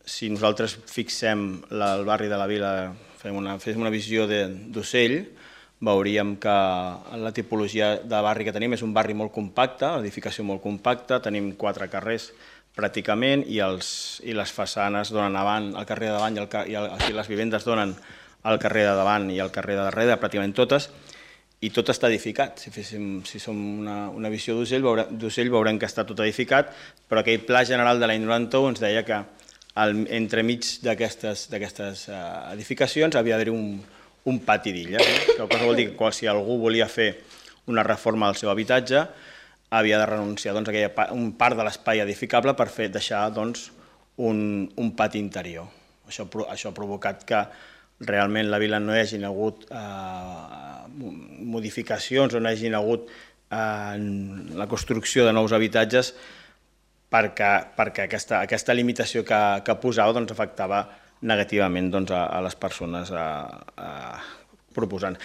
si nosaltres fixem el barri de la Vila, fem una visió d'ocell, veuríem que la tipologia de barri que tenim és un barri molt compacte, edificació molt compacta, tenim 4 carrers pràcticament i les façanes donen avant al carrer de davant i les vivendes donen al carrer de davant i al carrer de darrere, pràcticament totes, i tot està edificat. Si som una visió d'ocell veurem que està tot edificat, però aquell pla general de l'any 91 ens deia que entremig d'aquestes edificacions havia d'haver un pati d'illes. Això vol dir que si algú volia fer una reforma al seu habitatge havia de renunciar a un part de l'espai edificable per deixar un pati interior. Això ha provocat que realment la vila no hi hagin hagut modificacions o no hi hagin hagut la construcció de nous habitatges perquè aquesta limitació que posava afectava negativament a les persones proposants.